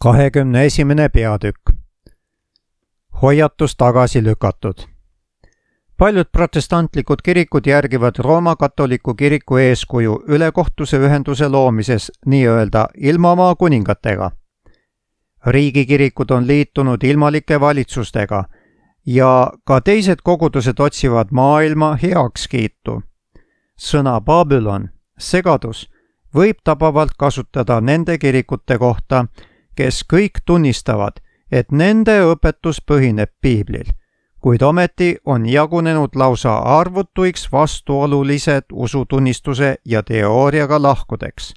21. peatükk. Hoiatus tagasi lükatud. Paljud protestantlikud kirikud järgivad Rooma katoliku kiriku eeskuju ülekohtuse ühenduse loomises nii-öelda ilmamaa kuningatega. Riigikirikud on liitunud ilmalike valitsustega ja ka teised kogudused otsivad maailma heakskiitu. Sõna Babylon, segadus, võib tabavalt kasutada nende kirikute kohta, kes kõik tunnistavad, et nende õpetus põhineb piiblil, kuid ometi on jagunenud lausa arvutuiks vastuolulised usutunnistuse ja teooriaga lahkudeks.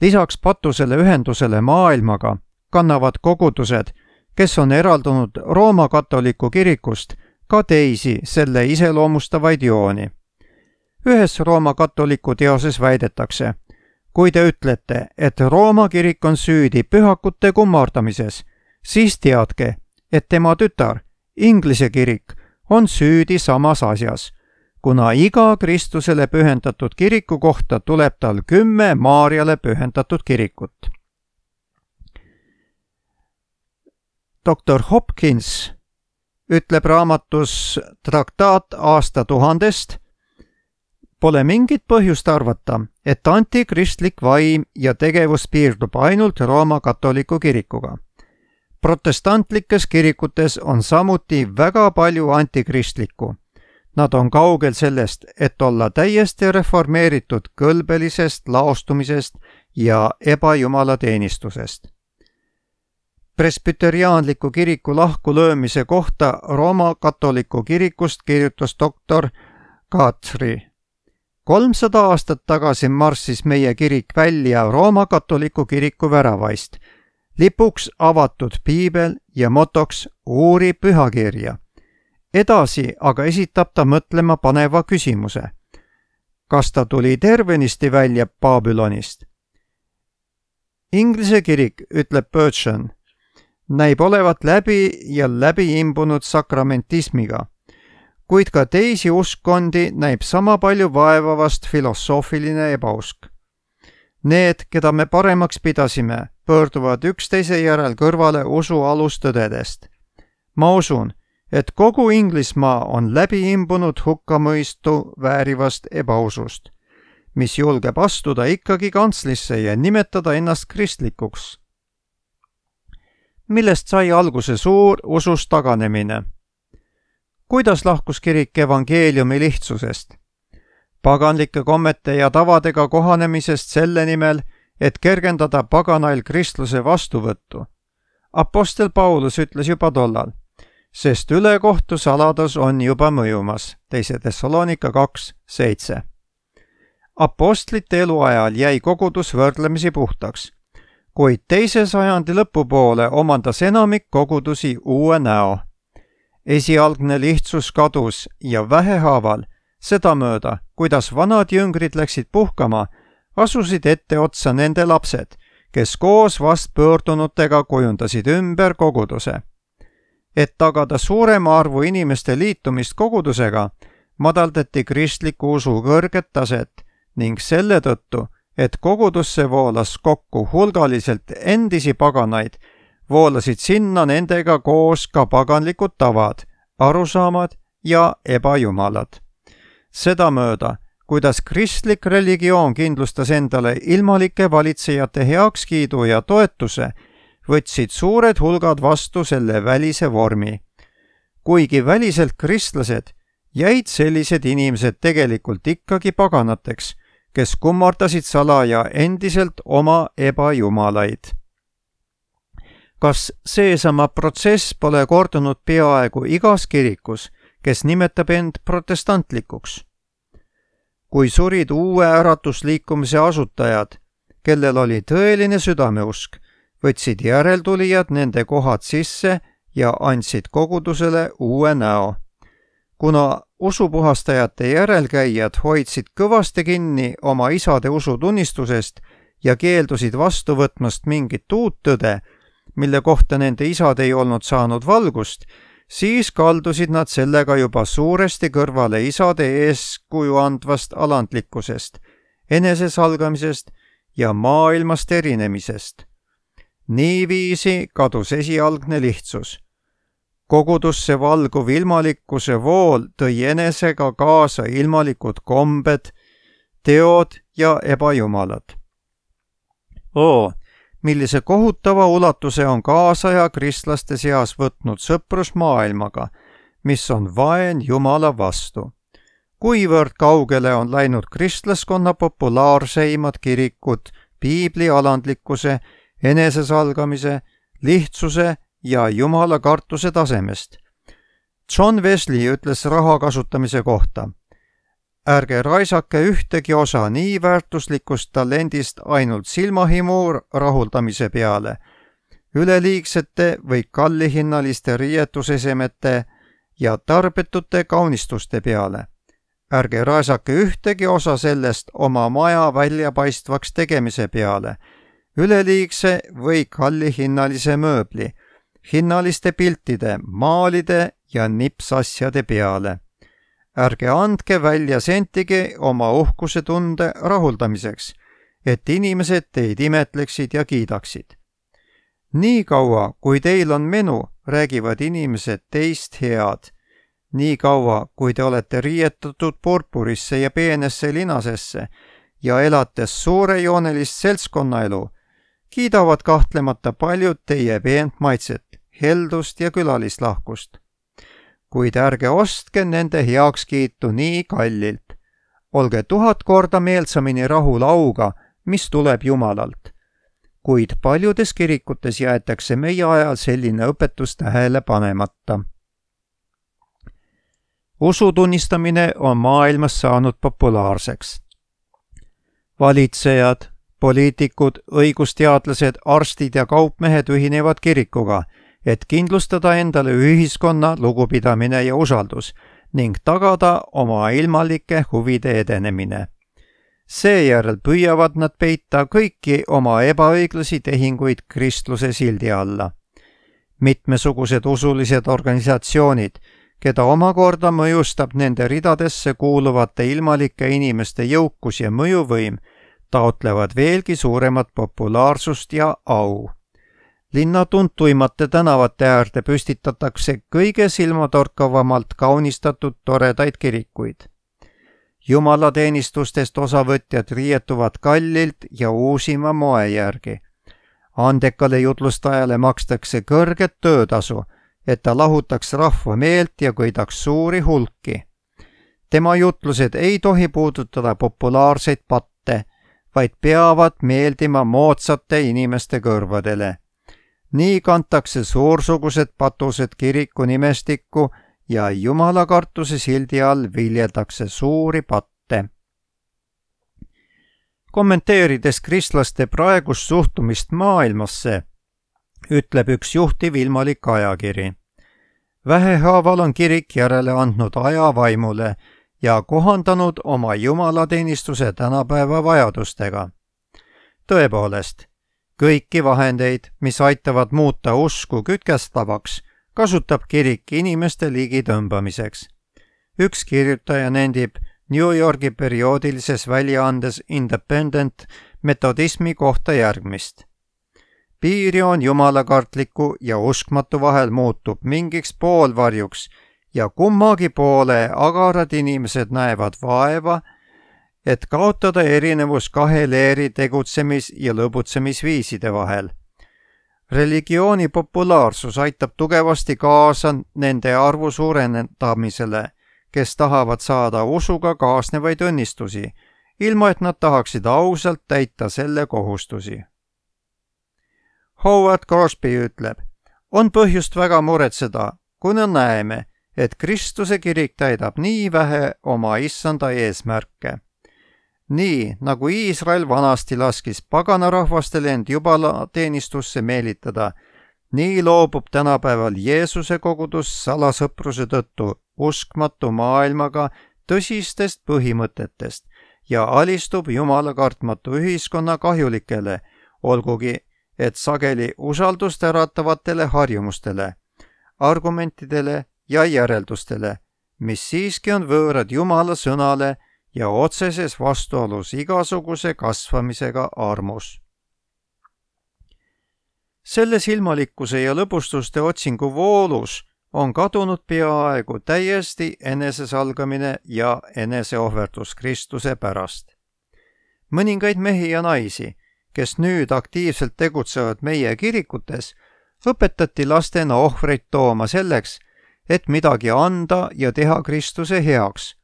Lisaks patusele ühendusele maailmaga kannavad kogudused, kes on eraldunud Rooma katoliku kirikust, ka teisi selle iseloomustavaid jooni. Ühes Rooma katoliku teoses väidetakse, kui te ütlete, et Rooma kirik on süüdi pühakute kummardamises, siis teadke, et tema tütar, Inglise kirik, on süüdi samas asjas, kuna iga Kristusele pühendatud kiriku kohta tuleb tal 10 Maarjale pühendatud kirikut. Dr. Hopkins ütleb raamatus Traktaat aastatuhandest, pole mingit põhjust arvata, et antikristlik vaim ja tegevus piirdub ainult Rooma katoliku kirikuga. Protestantlikes kirikutes on samuti väga palju antikristlikku. Nad on kaugel sellest, et olla täiesti reformeeritud kõlbelisest laostumisest ja ebajumalateenistusest. Presbyteriaanliku kiriku lahkulöömise kohta Rooma katoliku kirikust kirjutas doktor Guthrie. 300 aastat tagasi marssis meie kirik välja Rooma katoliku kiriku väravaist, lipuks avatud piibel ja motoks uuri pühakirja. Edasi aga esitab ta mõtlema paneva küsimuse. Kas ta tuli tervenisti välja Babylonist? Inglise kirik, ütleb Burchan, näib olevat läbi imbunud sakramentismiga, kuid ka teisi uskkondi näib sama palju vaevavast filosoofiline ebausk. Need, keda me paremaks pidasime, pöörduvad üksteise järel kõrvale usu alustõdedest. Ma usun, et kogu Inglismaa on läbi imbunud hukkamõistu väärivast ebausust, mis julgeb astuda ikkagi kantslisse ja nimetada ennast kristlikuks. Millest sai alguse suur usust taganemine? Kuidas lahkus kirik evangeeliumi lihtsusest? Paganlike kommete ja tavadega kohanemisest selle nimel, et kergendada paganail kristluse vastuvõttu. Apostel Paulus ütles juba tollal, sest ülekohtu saladus on juba mõjumas, 2 Thessalonika 2:7. Apostlite eluajal jäi kogudus võrdlemisi puhtaks, kuid 2. sajandi lõpupoole omandas enamik kogudusi uue näo. Esialgne lihtsus kadus ja vähehaaval, sedamööda, kuidas vanad jüngrid läksid puhkama, asusid etteotsa nende lapsed, kes koos vastpöördunutega kujundasid ümber koguduse. Et tagada suurema arvu inimeste liitumist kogudusega, madaldati kristliku usu kõrget taset ning selle tõttu, et kogudusse voolas kokku hulgaliselt endisi paganaid, voolasid sinna nendega koos ka paganlikud tavad, arusaamad ja ebajumalad. Sedamööda, kuidas kristlik religioon kindlustas endale ilmalike valitsejate heakskiidu ja toetuse, võtsid suured hulgad vastu selle välise vormi. Kuigi väliselt kristlased, jäid sellised inimesed tegelikult ikkagi paganateks, kes kummardasid salaja endiselt oma ebajumalaid. Kas seesama protsess pole kordunud peaaegu igas kirikus, kes nimetab end protestantlikuks? Kui surid uue äratusliikumise asutajad, kellel oli tõeline südameusk, võtsid järeltulijad nende kohad sisse ja andsid kogudusele uue näo. Kuna usupuhastajate järelkäijad hoidsid kõvasti kinni oma isade usutunnistusest ja keeldusid vastu võtmast mingit uut tõde, mille kohta nende isad ei olnud saanud valgust, siis kaldusid nad sellega juba suuresti kõrvale isade eeskuju andvast alandlikkusest, enesesalgamisest ja maailmast erinemisest. Niiviisi kadus esialgne lihtsus. Kogudusse valguv ilmalikkuse vool tõi enesega kaasa ilmalikud kombed, teod ja ebajumalad. Millise kohutava ulatuse on kaasaja kristlaste seas võtnud sõprus maailmaga, mis on vaen Jumala vastu. Kuivõrd kaugele on läinud kristlaskonna populaarseimad kirikud piibli alandlikkuse, enesesalgamise, lihtsuse ja Jumala kartuse tasemest. John Wesley ütles raha kasutamise kohta: ärge raisake ühtegi osa nii väärtuslikust talendist ainult silmahimu rahuldamise peale, üleliigsete või kallihinnaliste riietusesemete ja tarbetute kaunistuste peale. Ärge raisake ühtegi osa sellest oma maja väljapaistvaks tegemise peale, üleliigse või kallihinnalise mööbli, hinnaliste piltide, maalide ja nipsasjade peale. Ärge andke välja sentigi oma uhkuse tunde rahuldamiseks, et inimesed teid imetleksid ja kiidaksid. Nii kaua, kui teil on menu, räägivad inimesed teist head. Nii kaua, kui te olete riietatud purpurisse ja peenesse linasesse ja elates suurejoonelist seltskonnaelu, kiidavad kahtlemata paljud teie peent maitset, heldust ja külalislahkust. Kuid ärge ostke nende heakskiitu nii kallilt. Olge 1000 korda meelsamini rahul auga, mis tuleb Jumalalt. Kuid paljudes kirikutes jäetakse meie ajal selline õpetus tähele panemata. Usu tunnistamine on maailmas saanud populaarseks. Valitsejad, poliitikud, õigusteadlased, arstid ja kaupmehed ühinevad kirikuga, et kindlustada endale ühiskonna lugupidamine ja usaldus ning tagada oma ilmalike huvide edenemine. Seejärel püüavad nad peita kõiki oma ebaõiglasi tehinguid kristluse sildi alla. Mitmesugused usulised organisatsioonid, keda omakorda mõjustab nende ridadesse kuuluvate ilmalike inimeste jõukus ja mõjuvõim, taotlevad veelgi suuremat populaarsust ja au. Linna tuntuimate tänavate äärde püstitatakse kõige silmatorkavamalt kaunistatud toredaid kirikuid. Jumalateenistustest osavõtjad riietuvad kallilt ja uusima moe järgi. Andekale jutlustajale makstakse kõrget töötasu, et ta lahutaks rahva meelt ja köidaks suuri hulki. Tema jutlused ei tohi puudutada populaarseid patte, vaid peavad meeldima moodsate inimeste kõrvadele. Nii kantakse suursugused patused kiriku nimestikku ja jumalakartuse sildi all viljeldakse suuri patte. Kommenteerides kristlaste praegust suhtumist maailmasse, ütleb üks juhtiv ilmalik ajakiri: vähehaaval on kirik järele andnud ajavaimule ja kohandanud oma jumalateenistuse tänapäeva vajadustega. Tõepoolest, kõiki vahendeid, mis aitavad muuta usku kütkestavaks, kasutab kirik inimeste ligi tõmbamiseks. Üks kirjutaja nendib New Yorgi perioodilises väljaandes Independent metodismi kohta järgmist: piiri on jumalakartliku ja uskmatu vahel muutub mingiks poolvarjuks ja kummagi poole agarad inimesed näevad vaeva, et kaotada erinevus kahe leeri tegutsemis- ja lõbutsemisviiside vahel. Religiooni populaarsus aitab tugevasti kaasa nende arvu suurendamisele, kes tahavad saada usuga kaasnevaid õnnistusi, ilma et nad tahaksid ausalt täita selle kohustusi. Howard Crosby ütleb: on põhjust väga muretseda, kuna näeme, et Kristuse kirik täidab nii vähe oma issanda eesmärke. Nii, nagu Iisrael vanasti laskis paganarahvastel end jumalateenistusse meelitada, nii loobub tänapäeval Jeesuse kogudus salasõpruse tõttu uskmatu maailmaga tõsistest põhimõtetest ja alistub jumala kartmatu ühiskonna kahjulikele, olgugi et sageli usaldust äratavatele harjumustele, argumentidele ja järeldustele, mis siiski on võõrad Jumala sõnale ja otseses vastuolus igasuguse kasvamisega armus. Selle silmalikkuse ja lõbustuste otsingu voolus on kadunud peaaegu täiesti enesesalgamine ja eneseohverdus Kristuse pärast. Mõningaid mehi ja naisi, kes nüüd aktiivselt tegutsevad meie kirikutes, õpetati lastena ohvreid tooma selleks, et midagi anda ja teha Kristuse heaks.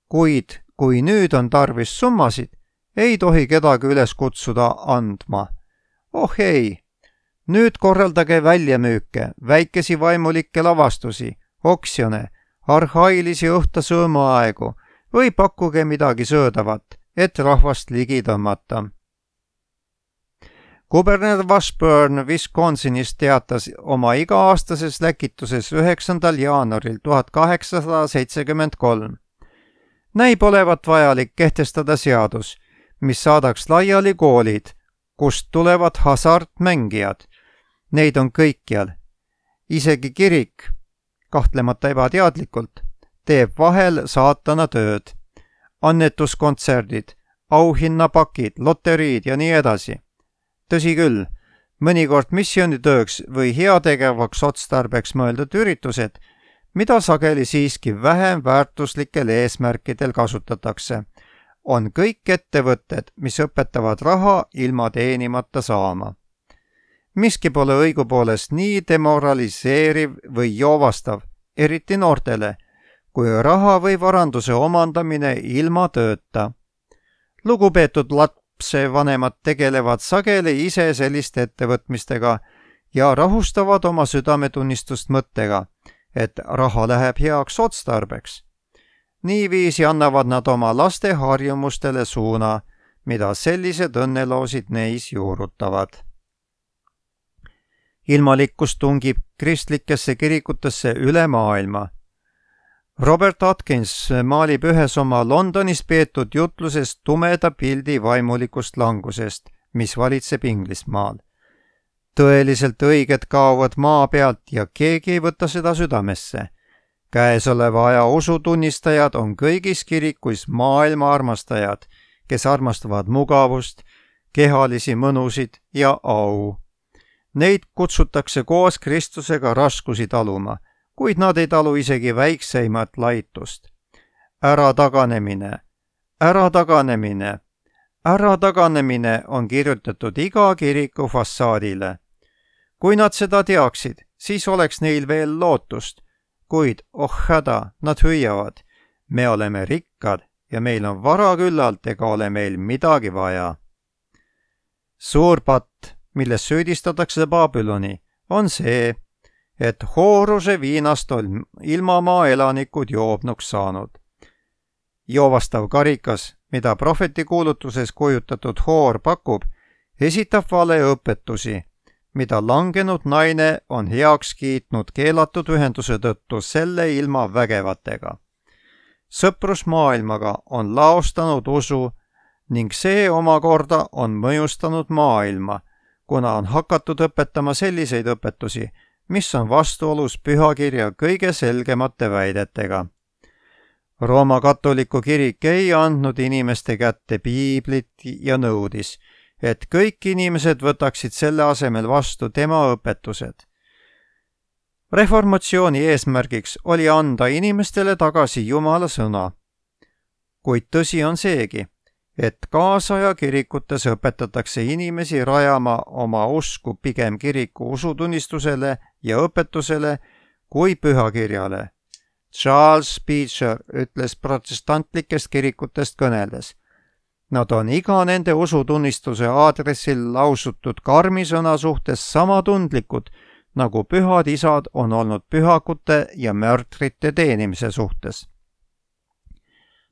Kuid kui nüüd on tarvis summasid, ei tohi kedagi üles kutsuda andma. Oh ei! Nüüd korraldage väljamüüke, väikesi vaimulikke lavastusi, oksjone, arhailisi õhtusöömaaegu või pakkuge midagi söödavat, et rahvast ligi tõmmata. Kuberner Washburn Wisconsinist teatas oma iga-aastases läkituses 9. jaanuaril 1873. Näib olevat vajalik kehtestada seadus, mis saadaks laiali koolid, kust tulevad hasartmängijad. Neid on kõikjal. Isegi kirik, kahtlemata ebateadlikult, teeb vahel saatana tööd. Annetuskontserdid, auhinnapakid, loteriid ja nii edasi. Tõsi küll, mõnikord missioonitööks või heategevaks otstarbeks mõeldud üritused, mida sageli siiski vähem väärtuslikel eesmärkidel kasutatakse, on kõik ettevõtted, mis õpetavad raha ilma teenimata saama. Miski pole õigupoolest nii demoraliseeriv või joovastav, eriti noortele, kui raha või varanduse omandamine ilma tööta. Lugupeetud lapsevanemad tegelevad sageli ise selliste ettevõtmistega ja rahustavad oma südametunnistust mõttega, et raha läheb heaks otstarbeks. Niiviisi annavad nad oma laste harjumustele suuna, mida sellised õnneloosid neis juurutavad. Ilmalikkus tungib kristlikesse kirikutesse üle maailma. Robert Atkins maalib ühes oma Londonis peetud jutluses tumeda pildi vaimulikust langusest, mis valitseb Inglismaal. Tõeliselt õiged kaovad maa pealt ja keegi ei võta seda südamesse. Käesoleva aja usutunnistajad on kõigis kirikuis maailma armastajad, kes armastavad mugavust, kehalisi mõnusid ja au. Neid kutsutakse koos Kristusega raskusi taluma, kuid nad ei talu isegi väikseimat laitust. Ärataгаnemine on kirjutatud iga kiriku fassaadile. Kui nad seda teaksid, siis oleks neil veel lootust, kuid oh häda, nad hüüavad, me oleme rikkad ja meil on vara küllalt ega ole meil midagi vaja. Suur patt, milles süüdistatakse Babyloni, on see, et hooruse viinast on ilmamaa elanikud joobnuks saanud. Joovastav karikas, mida prohveti kuulutuses kujutatud hoor pakub, esitab valeõpetusi, mida langenud naine on heaks kiitnud keelatud ühenduse tõttu selle ilma vägevatega. Sõprus maailmaga on laostanud usu ning see omakorda on mõjustanud maailma, kuna on hakatud õpetama selliseid õpetusi, mis on vastuolus pühakirja kõige selgemate väidetega. Rooma katoliku kirik ei andnud inimeste kätte piiblit ja nõudis, et kõik inimesed võtaksid selle asemel vastu tema õpetused. Reformatsiooni eesmärgiks oli anda inimestele tagasi Jumala sõna. Kuid tõsi on seegi, et kaasaja kirikutes õpetatakse inimesi rajama oma usku pigem kiriku usutunnistusele ja õpetusele kui pühakirjale. Charles Beecher ütles protestantlikest kirikutest kõneldes. Nad on iga nende usutunnistuse aadressil lausutud karmisõna suhtes sama tundlikud, nagu pühad isad on olnud pühakute ja mörtrite teenimise suhtes.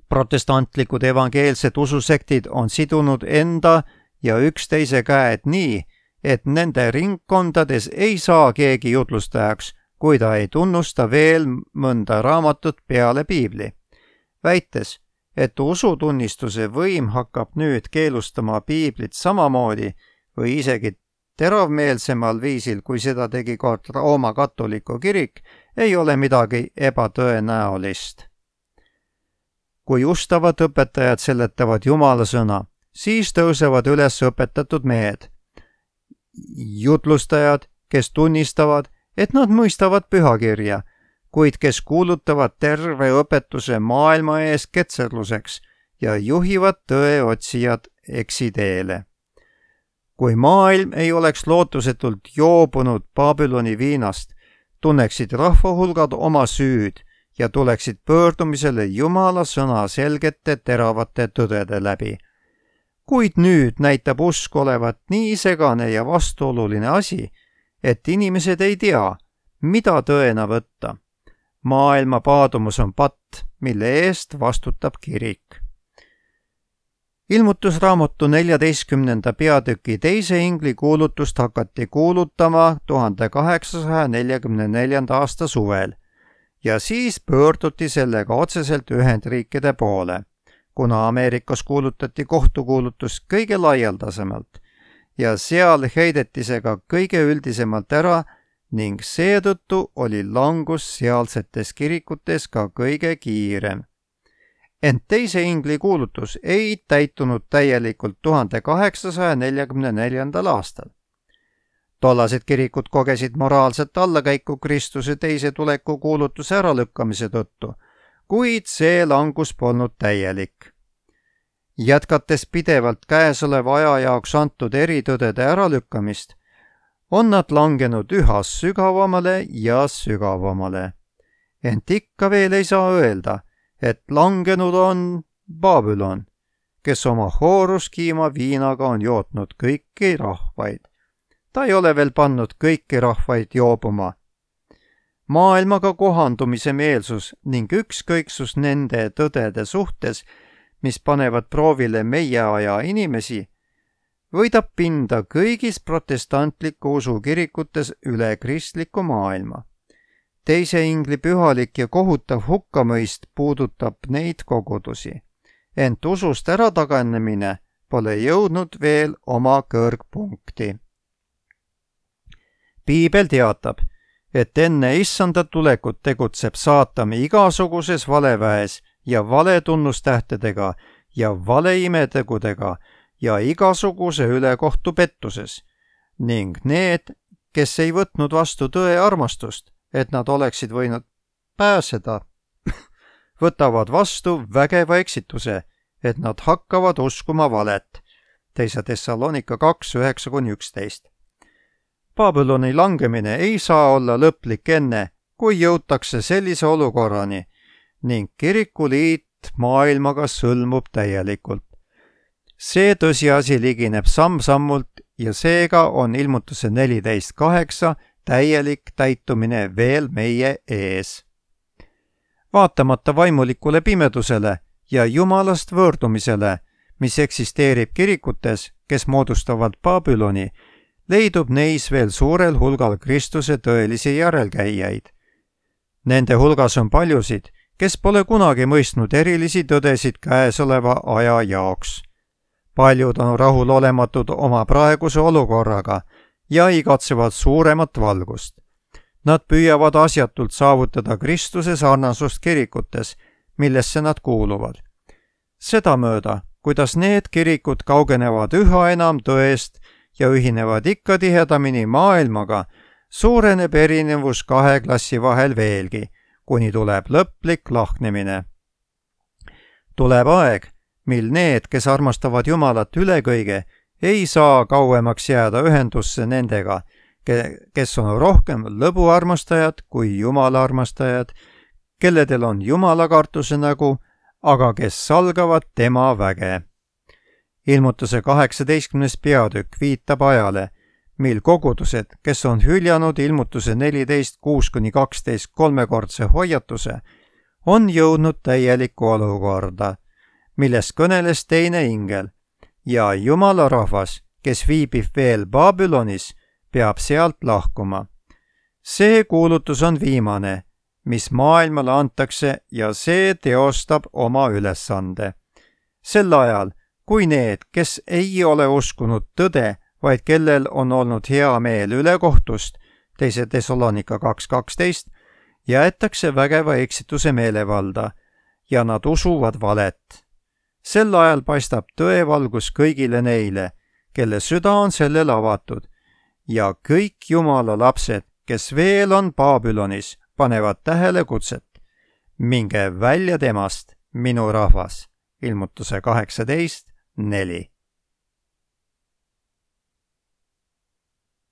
Protestantlikud evangeelsed ususektid on sidunud enda ja üksteise käed nii, et nende ringkondades ei saa keegi jutlustajaks, kui ta ei tunnusta veel mõnda raamatut peale piibli, väites, et usutunnistuse võim hakkab nüüd keelustama piiblit samamoodi või isegi teravmeelsemal viisil, kui seda tegi kord Rooma katoliku kirik, ei ole midagi ebatõenäolist. Kui ustavad õpetajad seletavad Jumala sõna, siis tõusevad üles õpetatud mehed. jutlustajad, kes tunnistavad, et nad mõistavad pühakirja, kuid kes kuulutavad terve õpetuse maailma ees ketserluseks ja juhivad tõeotsijad eksiteele. Kui maailm ei oleks lootusetult joobunud Babyloni viinast, tunneksid rahvahulgad oma süüd ja tuleksid pöördumisele Jumala sõna selgete teravate tõdede läbi. Kuid nüüd näitab usk olevat nii segane ja vastuoluline asi, et inimesed ei tea, mida tõena võtta. Maailma paadumus on patt, mille eest vastutab kirik. Ilmutusraamatu 14. peatüki 2. ingli kuulutust hakati kuulutama 1844. aasta suvel ja siis pöörduti sellega otseselt Ühendriikide poole, kuna Ameerikas kuulutati kohtukuulutust kõige laialdasemalt ja seal heideti see ka kõige üldisemalt ära ning seetõttu oli langus sealsetes kirikutes ka kõige kiirem. Ent 2. ingli kuulutus ei täitunud täielikult 1844. aastal. Tollased kirikud kogesid moraalset allakäiku Kristuse teise tuleku kuulutuse äralükkamise tõttu, kuid see langus polnud täielik. Jätkates pidevalt käesoleva aja jaoks antud eritõdede äralükkamist, on nad langenud üha sügavamale ja sügavamale. Ent ikka veel ei saa öelda, et langenud on Babylon, kes oma hooruskiima viinaga on jootnud kõiki rahvaid. Ta ei ole veel pannud kõiki rahvaid joobuma. Maailmaga kohandumise meelsus ning ükskõiksus nende tõdede suhtes, mis panevad proovile meie aja inimesi, võidab pinda kõigis protestantliku usu kirikutes üle kristliku maailma. 2. ingli pühalik ja kohutav hukkamõist puudutab neid kogudusi, ent usust ärataganemine pole jõudnud veel oma kõrgpunkti. Piibel teatab, et enne issanda tulekut tegutseb saatan igasuguses valeväes ja valetunnustähtedega ja valeimetegudega ja igasuguse ülekohtu pettuses ning need, kes ei võtnud vastu tõe armastust, et nad oleksid võinud pääseda, võtavad vastu vägeva eksituse, et nad hakkavad uskuma valet. 2. Thessalonika 2:9-11. Babyloni langemine ei saa olla lõplik enne, kui jõutakse sellise olukorrani ning kirikuliit maailmaga sõlmub täielikult. See tõsiasi ligineb samm-sammult ja seega on ilmutuse 14:8 täielik täitumine veel meie ees. Vaatamata vaimulikule pimedusele ja jumalast võõrdumisele, mis eksisteerib kirikutes, kes moodustavad Babyloni, leidub neis veel suurel hulgal Kristuse tõelisi järelkäijaid. Nende hulgas on paljusid, kes pole kunagi mõistnud erilisi tõdesid käesoleva aja jaoks. Paljud on rahulolematud oma praeguse olukorraga ja igatsevad suuremat valgust. Nad püüavad asjatult saavutada Kristuse sarnasust kirikutes, millesse nad kuuluvad. Sedamööda, kuidas need kirikud kaugenevad üha enam tõest ja ühinevad ikka tihedamini maailmaga, suureneb erinevus kahe klassi vahel veelgi, kuni tuleb lõplik lahknemine. Tuleb aeg, mil need, kes armastavad Jumalat üle kõige, ei saa kauemaks jääda ühendusse nendega, kes on rohkem lõbuarmastajad kui Jumala armastajad, kelledel on Jumalakartuse nägu, aga kes salgavad tema väge. Ilmutuse 18. peatükk viitab ajale, mil kogudused, kes on hüljanud ilmutuse 14:6-12 kolmekordse hoiatuse, on jõudnud täielikku olukorda, millest kõneles teine ingel ja Jumala rahvas, kes viibib veel Babylonis, peab sealt lahkuma. See kuulutus on viimane, mis maailmale antakse ja see teostab oma ülesande. Sel ajal, kui need, kes ei ole uskunud tõde, vaid kellel on olnud hea meel ülekohtust, 2. Thessalonika 2:12, jäetakse vägeva eksituse meelevalda ja nad usuvad valet. Sel ajal paistab tõevalgus kõigile neile, kelle süda on sellele avatud ja kõik Jumala lapsed, kes veel on Babülonis, panevad tähele kutset. Minge välja temast, minu rahvas. Ilmutuse 18:4.